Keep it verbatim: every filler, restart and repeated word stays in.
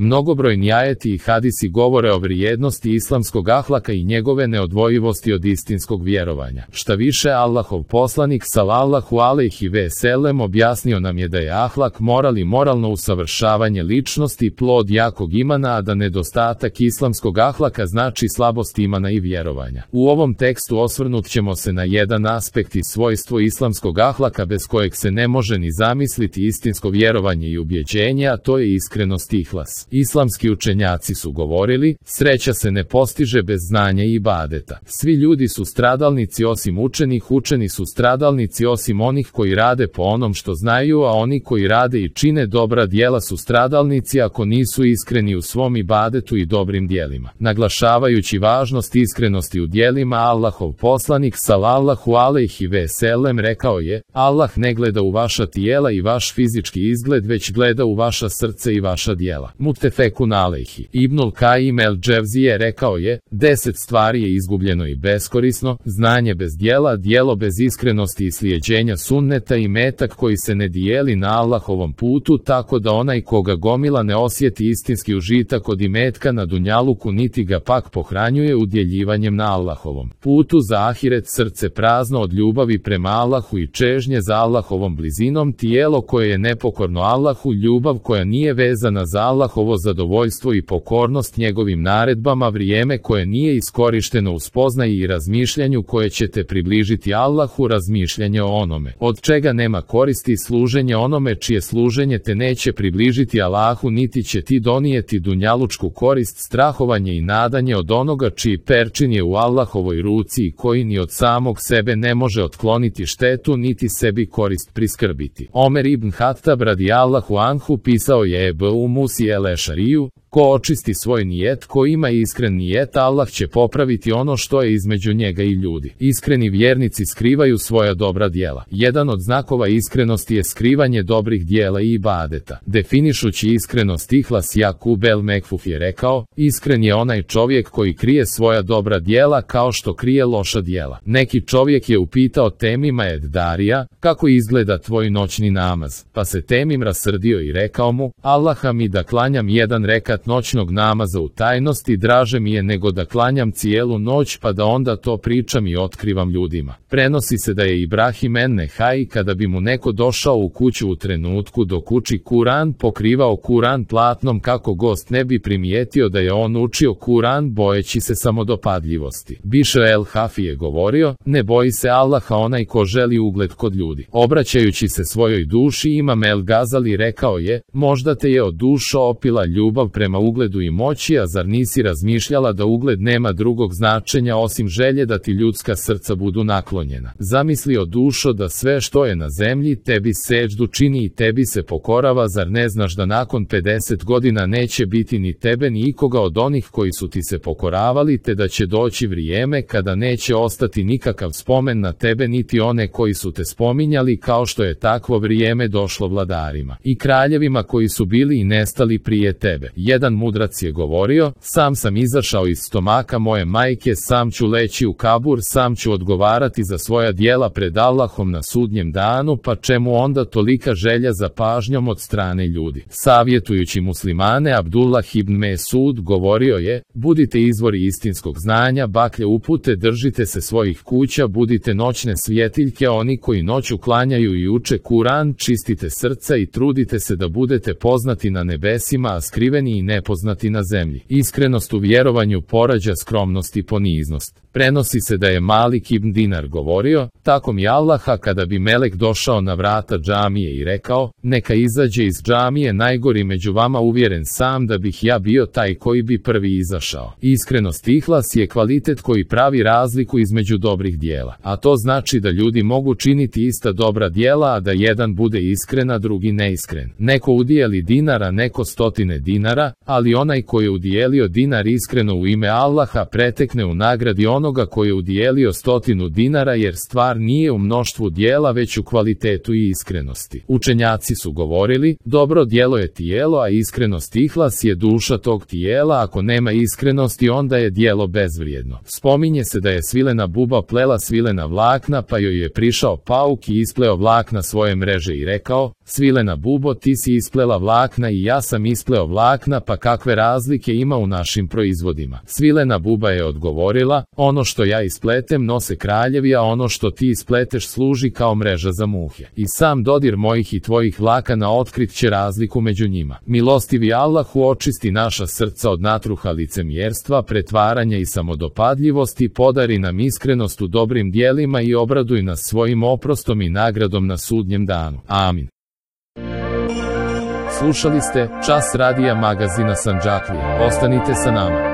Mnogobrojni ajeti i hadisi govore o vrijednosti islamskog ahlaka i njegove neodvojivosti od istinskog vjerovanja. Šta više, Allahov poslanik sallallahu alejhi ve sellem objasnio nam je da je ahlak moral i moralno usavršavanje ličnosti plod jakog imana, a da nedostatak islamskog ahlaka znači slabost imana i vjerovanja. U ovom tekstu osvrnut ćemo se na jedan aspekt i svojstvo islamskog ahlaka bez kojeg se ne može ni zamisliti istinsko vjerovanje i ubjeđenje, a to je iskrenost i ihlas. Islamski učenjaci su govorili, sreća se ne postiže bez znanja i ibadeta. Svi ljudi su stradalnici osim učenih, učeni su stradalnici osim onih koji rade po onom što znaju, a oni koji rade i čine dobra djela su stradalnici ako nisu iskreni u svom ibadetu i dobrim djelima. Naglašavajući važnost iskrenosti u djelima, Allahov poslanik sallallahu alejhi ve sellem rekao je: Allah ne gleda u vaša tijela i vaš fizički izgled, već gleda u vaša srce i vaša djela. Muttefekun alejhi. Ibnul Kajim el Dževzije rekao je: deset stvari je izgubljeno i beskorisno, znanje bez djela, djelo bez iskrenosti i slijeđenja sunneta i metak koji se ne dijeli na Allahovom putu, tako da onaj koga gomila ne osjeti istinski užitak od imetka na dunjaluku, niti ga pak pohranjuje udjeljivanjem na Allahovom putu za ahiret, srce prazno od ljubavi prema Allahu i čežnje za Allahovom blizinom, tijelo koje je nepokorno Allahu, ljubav koja nije vezana za Allahovo zadovoljstvo i pokornost njegovim naredbama, vrijeme koje nije iskorišteno u spoznaji i razmišljanju koje će te približiti Allahu, razmišljanje o onome od čega nema koristi, služenje onome čije služenje te neće približiti Allahu niti će ti donijeti dunjalučku korist, strahovanje i nadanje od onoga čiji perčin je u Allahovoj ruci i koji ni od samog sebe ne može otkloniti štetu niti sebi korist priskrbiti. Omer ibn Hattab radijallahu anhu pisao je Ebu Musi el-Ešariju: ko očisti svoj nijet, ko ima iskren nijet, Allah će popraviti ono što je između njega i ljudi. Iskreni vjernici skrivaju svoja dobra djela. Jedan od znakova iskrenosti je skrivanje dobrih djela i ibadeta. Definišući iskrenost, ihlas Jakub el Mekfuf je rekao: iskren je onaj čovjek koji krije svoja dobra djela kao što krije loša djela. Neki čovjek je upitao Temima ed Darija: kako izgleda tvoj noćni namaz? Pa se Temim rasrdio i rekao mu: Allaha mi da klanjam jedan rekat noćnog namaza u tajnosti draže mi je nego da klanjam cijelu noć pa da onda to pričam i otkrivam ljudima. Prenosi se da je Ibrahim en-Nehaj, kada bi mu neko došao u kuću u trenutku dok uči Kuran, pokrivao Kuran platnom kako gost ne bi primijetio da je on učio Kuran, bojeći se samodopadljivosti. Bišr el-Hafi je govorio: ne boji se Allaha onaj ko želi ugled kod ljudi. Obraćajući se svojoj duši, Imam el-Gazali rekao je: možda te je od duša opila ljubav prema ugledu i moći, a zar nisi razmišljala da ugled nema drugog značenja osim želje da ti ljudska srca budu naklonjena? Zamisli o dušo da sve što je na zemlji tebi seđdu čini i tebi se pokorava, zar ne znaš da nakon pedeset godina neće biti ni tebe ni ikoga od onih koji su ti se pokoravali, te da će doći vrijeme kada neće ostati nikakav spomen na tebe niti one koji su te spominjali, kao što je takvo vrijeme došlo vladarima i kraljevima koji su bili i nestali prije tebe. Jedan mudrac je govorio: sam sam izašao iz stomaka moje majke, sam ću leći u kabur, sam ću odgovarati za svoja djela pred Allahom na sudnjem danu, pa čemu onda tolika želja za pažnjom od strane ljudi? Savjetujući muslimane, Abdullah ibn Mesud govorio je: budite izvori istinskog znanja, baklje upute, držite se svojih kuća, budite noćne svjetiljke, oni koji noću klanjaju i uče Kuran, čistite srca i trudite se da budete poznati na nebesima, a skriveni i nepoznati na zemlji. Iskrenost u vjerovanju porađa skromnost i poniznost. Prenosi se da je Malik ibn Dinar govorio: tako mi Allaha, kada bi melek došao na vrata džamije i rekao: neka izađe iz džamije najgori među vama, uvjeren sam da bih ja bio taj koji bi prvi izašao. Iskrenost, ihlas, je kvalitet koji pravi razliku između dobrih djela, a to znači da ljudi mogu činiti ista dobra djela, a da jedan bude iskren, a drugi neiskren. Neko udijeli dinara, neko stotine dinara, ali onaj koji je udijelio dinar iskreno u ime Allaha pretekne u nagradi ono onoga koji je udijelio stotinu dinara, jer stvar nije u mnoštvu dijela već u kvalitetu i iskrenosti. Učenjaci su govorili, dobro djelo je tijelo, a iskrenost ihlas je duša tog tijela. Ako nema iskrenosti, onda je djelo bezvrijedno. Spominje se da je svilena buba plela svilena vlakna, pa joj je prišao pauk i ispleo vlakna svoje mreže i rekao, svilena bubo, ti si isplela vlakna i ja sam ispleo vlakna, pa kakve razlike ima u našim proizvodima? Svilena buba je odgovorila, ono što ja ispletem nose kraljevi, a ono što ti ispleteš služi kao mreža za muhe. I sam dodir mojih i tvojih vlakana otkrit će razliku među njima. Milostivi Allahu očisti naša srca od natruha licemjerstva, pretvaranja i samodopadljivosti, podari nam iskrenost u dobrim dijelima i obraduj nas svojim oprostom i nagradom na sudnjem danu. Amin. Slušali ste Čas radija magazina Sandžaklija. Ostanite sa nama.